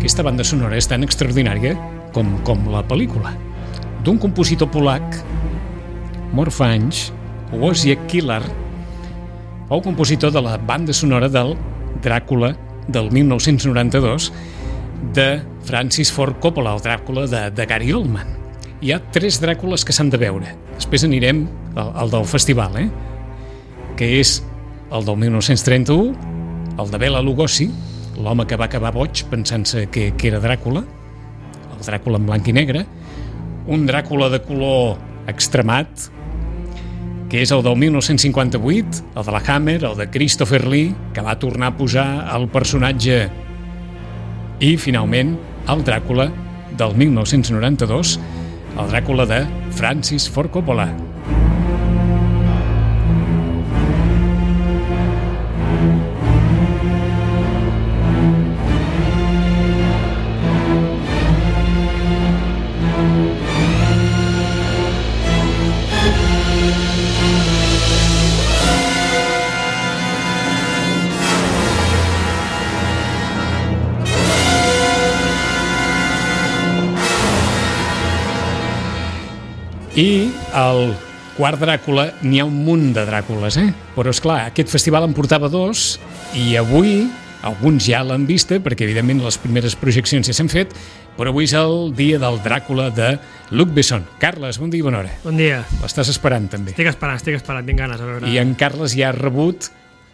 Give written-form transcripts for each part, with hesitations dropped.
Aquesta banda sonora és tan extraordinària com la pel·lícula. D'un compositor polac, mort fa anys, Wojciech Kilar, fou compositor de la banda sonora del Dràcula del 1992 de Francis Ford Coppola, el Dràcula de Gary Oldman. Hi ha 3 Dràcules que s'han de veure. Després anirem al del festival, que és el del 1931, el de Bela Lugosi, l'home que va acabar boig pensant-se que era Dràcula, el Dràcula en blanc i negre, un Dràcula de color extremat, que és el del 1958, el de la Hammer, el de Christopher Lee, que va tornar a posar el personatge, i finalment el Dràcula del 1992, el Dràcula de Francis Ford Coppola. I el quart Dràcula, n'hi ha un munt de Dràcules, però esclar, aquest festival en portava 2 i avui alguns ja l'han vista perquè evidentment les primeres projeccions ja s'han fet, però avui és el dia del Dràcula de Luc Besson. Carles, bon dia i bona hora. Bon dia. L'estàs esperant també. Estic esperant, tinc ganes a veure. I en Carles ja ha rebut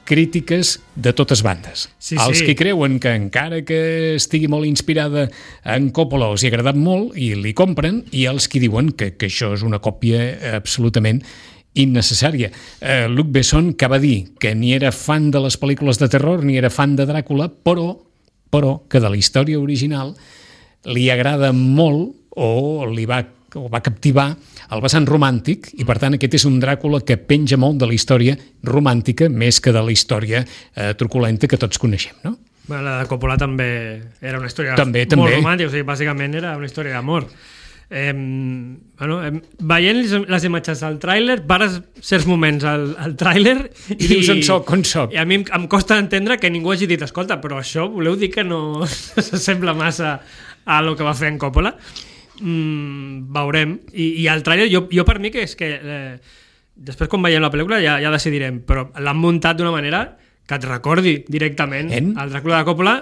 crítiques de totes bandes. Sí, Els que creuen que encara que estigui molt inspirada en Coppola els hi ha agradat molt i li compren, i els que diuen que això és una còpia absolutament innecessària. Luc Besson, que va dir que ni era fan de les pel·lícules de terror ni era fan de Dràcula, però que de la història original li agrada molt o va captivar el vessant romàntic, i per tant aquest és un Dràcula que penja molt de la història romàntica més que de la història truculenta que tots coneixem, no? Bueno, la de Coppola també era una història també. Molt romàntica, o sigui, bàsicament era una història d'amor. Veient les imatges del tràiler, pares certs moments al tràiler i dius on soc. I a mi em costa entendre que ningú hagi dit, escolta, però això voleu dir que no s'assembla massa a lo que va fer en Coppola? Veurem. I el tràiler, jo per mi que és que després quan veiem la pel·lícula ja decidirem, però l'han muntat d'una manera que et recordi directament el Dràcula de Coppola,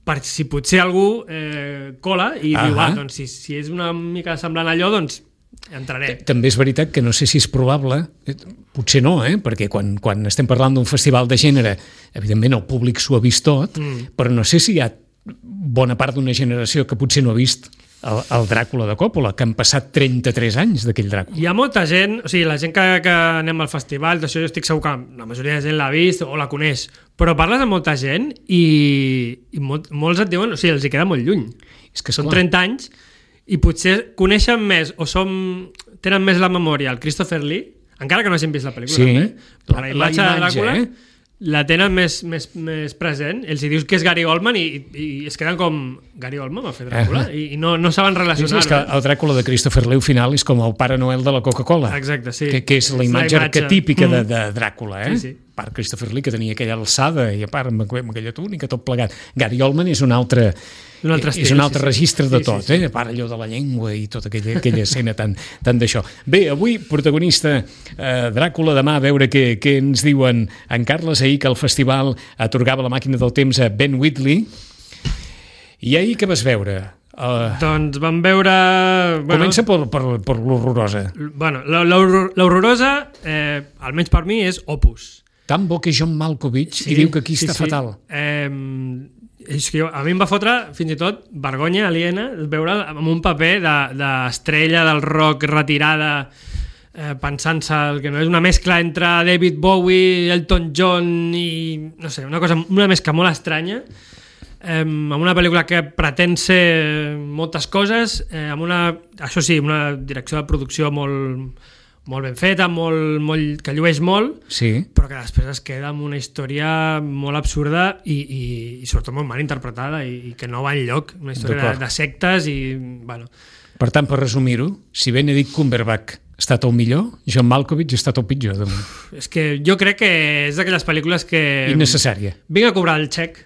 per si potser algú cola i diu, doncs si és una mica semblant a allò, doncs entraré. També és veritat que no sé si és probable, potser no, perquè quan estem parlant d'un festival de gènere, evidentment el públic s'ho ha vist tot, però no sé si hi ha bona part d'una generació que potser no ha vist el Dràcula de Coppola, que han passat 33 anys d'aquell Dràcula. Hi ha molta gent, o sigui, la gent que anem al festival, d'això jo estic segur que la majoria de gent l'ha vist o la coneix, però parles amb molta gent i molts et diuen, o sigui, els hi queda molt lluny. És que són 30 anys i potser coneixen més o tenen més la memòria el Christopher Lee, encara que no hagin vist la pel·lícula. Sí, però la imatge de Dràcula la tenen més present. Els hi dius que és Gary Oldman i es queden com Gary Oldman va fer Dràcula i no saben relacionar. És que el Dràcula de Christopher Lee al final és com el Pare Noel de la Coca-Cola. Exacte, sí. Que és la imatge arquetípica de Dràcula, Sí. A part Christopher Lee, que tenia aquella alçada i a part amb aquella túnica, tot plegat. Gary Oldman és un altre estil, és un altre registre de tot, a part allò de la llengua i tota aquella escena tan d'això. Bé, avui protagonista Dràcula, demà a veure què ens diuen en Carles. Ahir que el festival atorgava la màquina del temps a Ben Wheatley. I ahir què vas veure? Doncs vam veure... Comença per l'horrorosa. Bueno, l'horrorosa, almenys per mi, és Opus. Tan bo que John Malkovich i diu que aquí està fatal. És que a mi em va fotre fins i tot vergonya aliena veure amb un paper d'estrella del rock retirada, pensant-se que no és una mescla entre David Bowie, Elton John i no sé, una mescla molt estranya, amb una pel·lícula que pretén ser moltes coses, amb això sí, una direcció de producció molt ben feta, que llueix molt, però que després es queda amb una història molt absurda i sobretot molt mal interpretada i que no va enlloc, una història de sectes i... bueno. Per tant, per resumir-ho, si Benedict Cumberbatch ha estat el millor, John Malkovich ha estat el pitjor. És que jo crec que és d'aquelles pel·lícules que... Innecessària. Vinc a cobrar el xec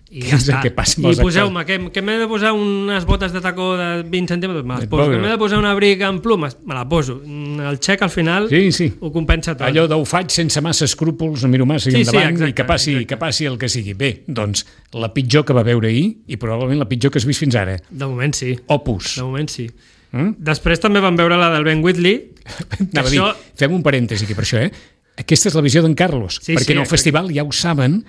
i ja està. Que passa I poseu-me, que m'he de posar unes botes de tacó de 20 centímetres, me les poso. Que m'he de posar un abric amb plumes, me la poso. El xec al final ho compensa tot. Allò ho faig sense massa escrúpols, no miro massa endavant i que passi el que sigui. Bé, doncs, la pitjor que va veure ahir i probablement la pitjor que has vist fins ara. De moment sí. Opus. De moment sí. Després també vam veure la del Ben Wheatley. Fem un parèntesi aquí per això, Aquesta és la visió d'en Carlos, perquè en el festival ja ho saben,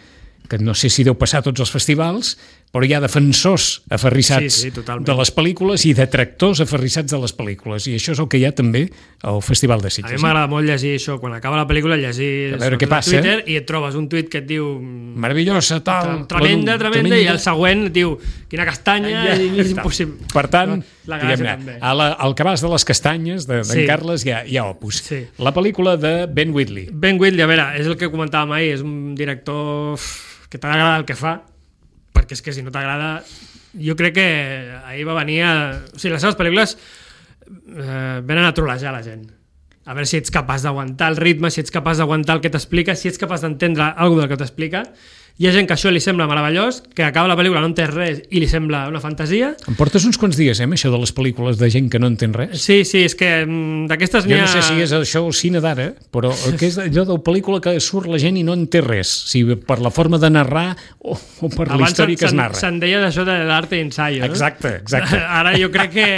que no sé si deu passar a tots els festivals, però hi ha defensors aferrissats de les pel·lícules i detractors aferrissats de les pel·lícules, i això és el que hi ha també al Festival de Sitges. A mi m'agrada molt llegir això, quan acaba la pel·lícula llegir Twitter i et trobes un tuit que et diu meravellosa, tal, tremenda, i el següent et diu quina castanya, i és impossible. Per tant, al cabàs de les castanyes d'en Carles hi ha Opus. La pel·lícula de Ben Wheatley. Ben Wheatley, a veure, és el que comentàvem ahir, és un director que t'agrada el que fa, perquè és que si no t'agrada, jo crec que ahir va venir o sigui, les seves pel·lícules venen a trolejar la gent, a veure si ets capaç d'aguantar el ritme, si ets capaç d'aguantar el que t'explica, si ets capaç d'entendre alguna del que t'explica. Hi ha gent que això li sembla meravellós, que acaba la pel·lícula, no entès res i li sembla una fantasia. Em portes uns quants dies, això de les pel·lícules de gent que no entén res? Sí, és que d'aquestes n'hi ha... Jo no sé si és això el cine d'ara, però que és allò de pel·lícula que surt la gent i no entén res, si per la forma de narrar o per la història que es narra. Abans se'n deia d'això de l'arte ensayo, no? Exacte. Ara jo crec que...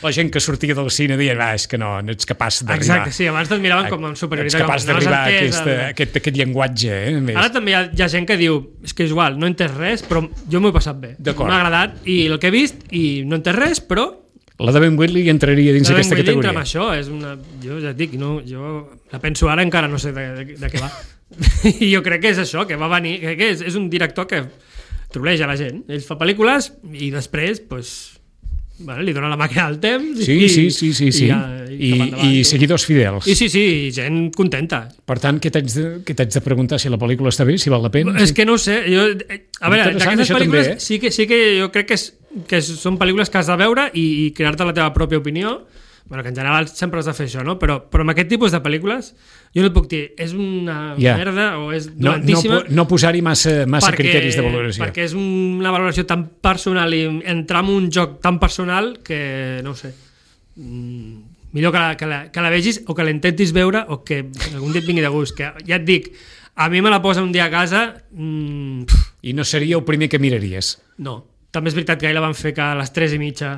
La gent que sortia del cine deia, és que no ets capaç d'arribar. Exacte, sí, abans te't miraven com amb superioritat. Ets capaç d'arribar a aquest llenguatge. Ara també hi ha gent que diu, és que és igual, no he entès res, però jo m'ho he passat bé. M'ha agradat i el que he vist i no he entès res, però... La de Ben Wheatley entraria dins aquesta categoria. Entra amb això, jo ja et dic, jo la penso ara, encara no sé de què va. I jo crec que és això, que va venir, que és un director que troleja la gent. Ell fa pel·lícules i després, li dona la màquina del temps i seguidors fidels i gent contenta. Per tant, què t'haig de preguntar? Si la pel·lícula està bé, si val la pena? És que no ho sé, a veure, d'aquestes pel·lícules sí que jo crec que són pel·lícules que has de veure i crear-te la teva pròpia opinió. Bueno, que en general sempre has de fer això, no? Però amb aquest tipus de pel·lícules jo no et puc dir, és una merda o és dolentíssima. No posar-hi massa criteris de valoració. Perquè és una valoració tan personal i entrar en un joc tan personal que, no ho sé, millor que la vegis o que l'intentis veure o que algun dia et vingui de gust. Que ja et dic, a mi me la posa un dia a casa... I no seria el primer que miraries? No. També és veritat que ahir la van fer a les 3:30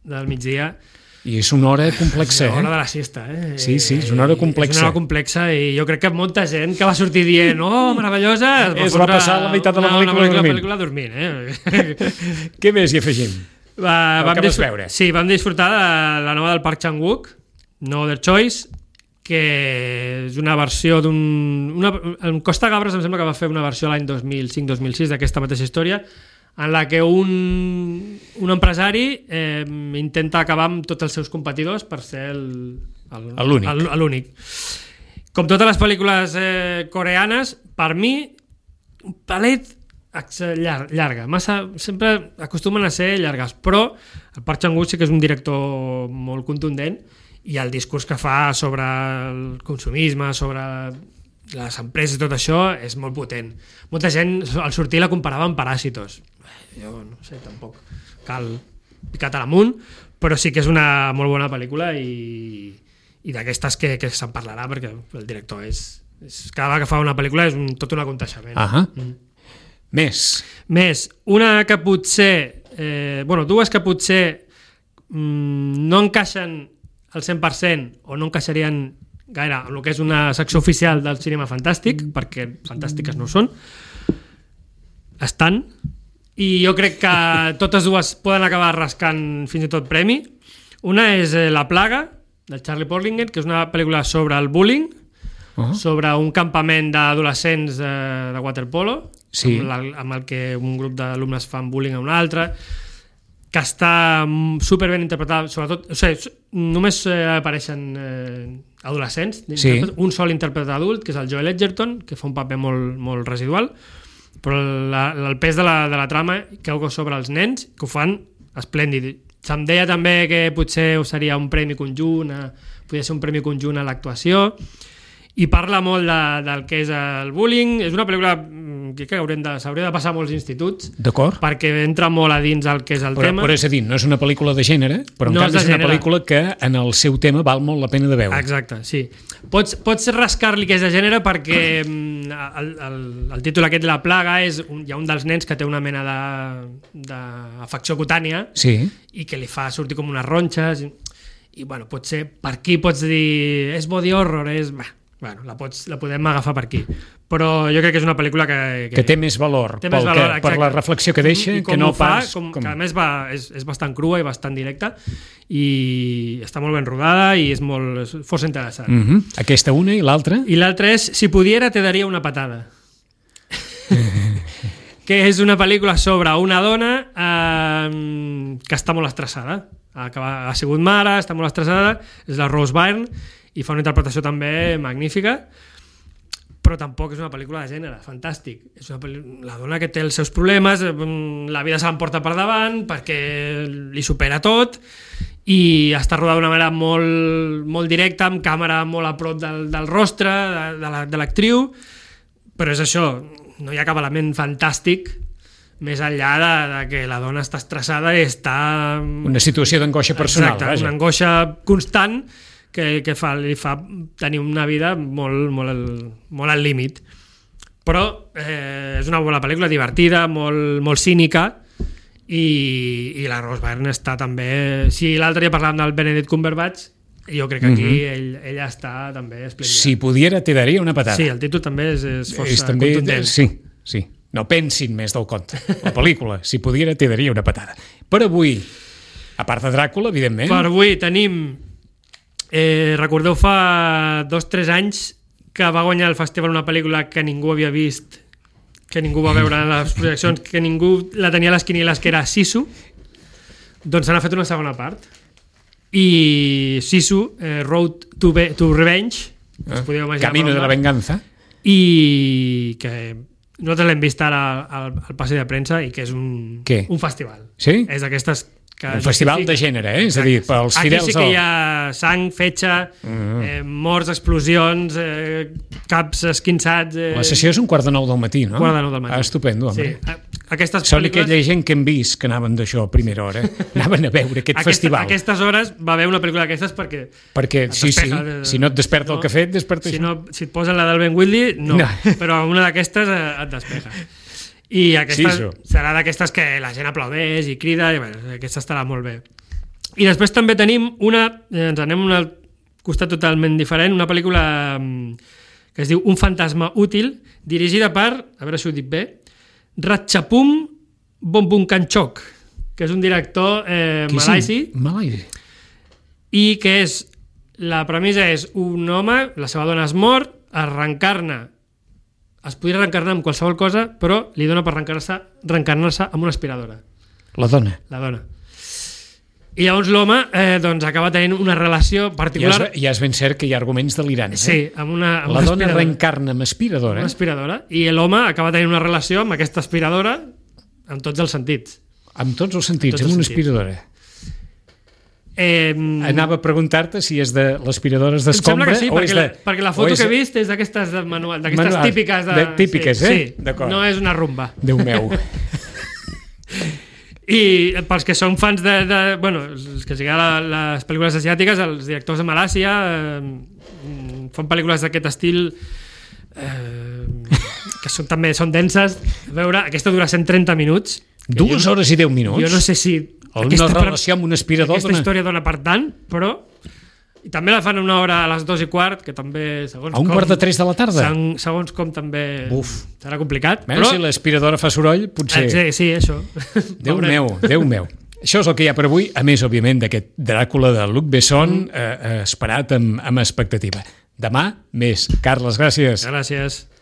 del migdia. I és una hora complexa, És una hora de la siesta, Sí, és una hora complexa. És una hora complexa i jo crec que molta gent que va sortir dient meravellosa, es va passar la meitat de la pel·lícula dormint. Què més hi afegim? Vam veure? Sí, vam disfrutar de la nova del Park Chan-wook, No Other Choice, que és una versió en Costa Gabres em sembla que va fer una versió l'any 2005-2006 d'aquesta mateixa història, en la que un empresari intenta acabar amb tots els seus competidors per ser l'únic. Com totes les pel·lícules coreanes, per mi, un palet llarga. Sempre acostumen a ser llargues, però el Park Chan-wook sí que és un director molt contundent i el discurs que fa sobre el consumisme, sobre les empreses i tot això és molt potent. Molta gent al sortir la comparava amb Paràsitos. Jo no sé, tampoc cal picar a l'amunt, però sí que és una molt bona pel·lícula i d'aquestes que se'n parlarà perquè el director és cada vegada que fa una pel·lícula és tot un aconteixement. Més, una que potser dues que potser no encaixen al 100% o no encaixarien gaire en el que és una secció oficial del cinema fantàstic, perquè fantàstiques no ho són, estan, i jo crec que totes dues poden acabar rascant fins i tot premi. Una és La plaga, de Charlie Porlinger, que és una pel·lícula sobre el bullying, sobre un campament d'adolescents de waterpolo, amb el que un grup d'alumnes fan bullying a un altre, que està superben interpretada, sobretot, només apareixen adolescents, un sol intèrpret adult, que és el Joel Edgerton, que fa un paper molt residual, però el pes de la trama cau sobre els nens, que ho fan esplèndid. Se'm deia també que potser seria un premi conjunt, podria ser un premi conjunt a l'actuació, i parla molt del que és el bullying. És una pel·lícula crec que s'hauria de passar a molts instituts, d'acord, perquè entra molt a dins el que és el tema. Però és a dir, no és una pel·lícula de gènere, però en canvi és una pel·lícula que en el seu tema val molt la pena de veure. Exacte, sí. Pots rascar-li que és de gènere perquè el títol aquest, La plaga, hi ha un dels nens que té una mena d'afecció cutània, sí, i que li fa sortir com unes ronxes, i bueno, potser per aquí pots dir és body horror, bueno, la podem agafar per aquí, però jo crec que és una pel·lícula que té més valor, per la reflexió que deixa, que no pas... Que a més és bastant crua i bastant directa, i està molt ben rodada i és força interessant. Aquesta una i l'altra? I l'altra és Si pudiera te daria una patada. Que és una pel·lícula sobre una dona que està molt estressada. Ha sigut mare, està molt estressada, és la Rose Byrne, i fa una interpretació també magnífica, però tampoc és una pel·lícula de gènere, fantàstic. És la dona que té els seus problemes, la vida se l'emporta per davant perquè li supera tot, i està rodada d'una manera molt, molt directa, amb càmera molt a prop del rostre de l'actriu, però és això, no hi ha cap element fantàstic més enllà de que la dona està estressada i està... Una situació d'angoixa personal. Exacte, una angoixa constant que li fa tenir una vida molt al límit. Però és una bona pel·lícula, divertida, molt cínica, i la Rose Byrne està també... Si l'altre dia parlàvem del Benedict Cumberbatch, jo crec que aquí ella està també esplèndida. Si pudiera te daria una patada. Sí, el títol també és força contundent. Sí. No pensin més del compte. La pel·lícula, Si pudiera te daria una patada. Per avui, a part de Dràcula, evidentment... Per avui tenim... recordeu fa 2-3 anys que va guanyar el festival una pel·lícula que ningú havia vist, que ningú va veure en les projeccions, que ningú la tenia a les quinieles, que era Sisu. Doncs se n'ha fet una segona part. I Sisu, Road to Revenge, Camino de la Venganza, i que nosaltres l'hem vist ara al passeig de premsa, i que és un festival. Sí? És d'aquestes... Un festival de gènere, és a dir, pels fidels... Aquí sí que hi ha sang, fetge, morts, explosions, caps esquinçats... La sessió és 8:45 del matí, no? 8:45 del matí. Estupendo, home. Sí. Aquestes Són pel·lícules... aquella gent que hem vist que anaven d'això a primera hora, anaven a veure aquest festival. A aquestes hores va haver una pel·lícula d'aquestes perquè sí, si no et desperta el cafè, et desperta això. Si et posen la del Ben Whitley, no. Però una d'aquestes et despeja. I aquesta serà d'aquestes que la gent aplaudeix i crida, i bueno, aquesta estarà molt bé. I després també tenim ens anem a un costat totalment diferent, una pel·lícula que es diu Un fantasma útil, dirigida per, a veure si ho dic bé, Ratchapum Bombunkanchok, que és un director malaisi, i que la premissa és un home, la seva dona es mor, es podria reencarnar amb qualsevol cosa, però li dona per reencarnar-se amb una aspiradora. La dona. I llavors l'home acaba tenint una relació particular... Ja és ben cert que hi ha arguments delirants. Sí, amb una la dona reencarna amb aspiradora. Una aspiradora. I l'home acaba tenint una relació amb aquesta aspiradora en tots els sentits. Amb tots els sentits, amb una aspiradora. Anava a preguntar-te si és de l'aspiradora d'escombra. Em sembla que sí, perquè la foto que he vist és d'aquestes de manual, d'aquestes típiques. Típiques, sí, no és una rumba. Déu meu. I pels que són fans els que siguin les pel·lícules asiàtiques, els directors de Malàsia fan pel·lícules d'aquest estil que també són denses. A veure, aquesta dura 130 minuts. 2 hores i 10 minuts? Jo no sé si una relació amb un aspirador... Aquesta història dona per tant, però... I també la fan a 1 hora a les 2:15, que també... A 2:45 de la tarda? Segons com també serà complicat. Però si l'aspiradora fa soroll, potser... Sí, això. Déu meu. Això és el que hi ha per avui, a més, òbviament, d'aquest Dràcula de Luc Besson, esperat amb expectativa. Demà, més. Carles, gràcies. Gràcies.